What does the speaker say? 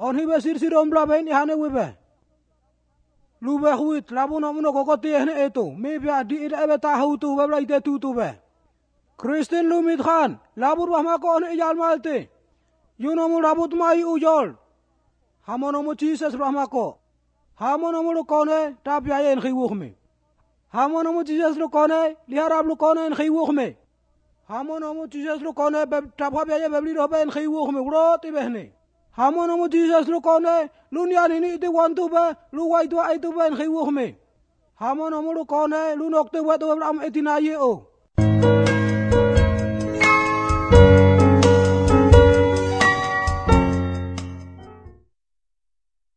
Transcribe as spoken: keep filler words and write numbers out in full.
kon hibe sir sirom blabe ni hane webe lube huit labu no muno ko ti hne eto me bia di ida ebe ta hu tu webla ite tu tu be Kristin lumit khan labur wa ma ko ne yal malte yuno mu labut mai ujol hamono mu Jesus rahma ko hamono mu ko ne ta bia yen khi wukhme hamono mu Jesus lu ko ne liharab lu ko ne khi wukhme hamono mu Jesus lu ko ne be ta bha bia ye be li ro ben khi wukhme ro ti be ne hamono mu Jesus lu ko ne lu nya ni ni ti wan tu be lu wai tu ai tu ben khi wukhme hamono mu lu ko ne lu nok tu wa tu am etina ye o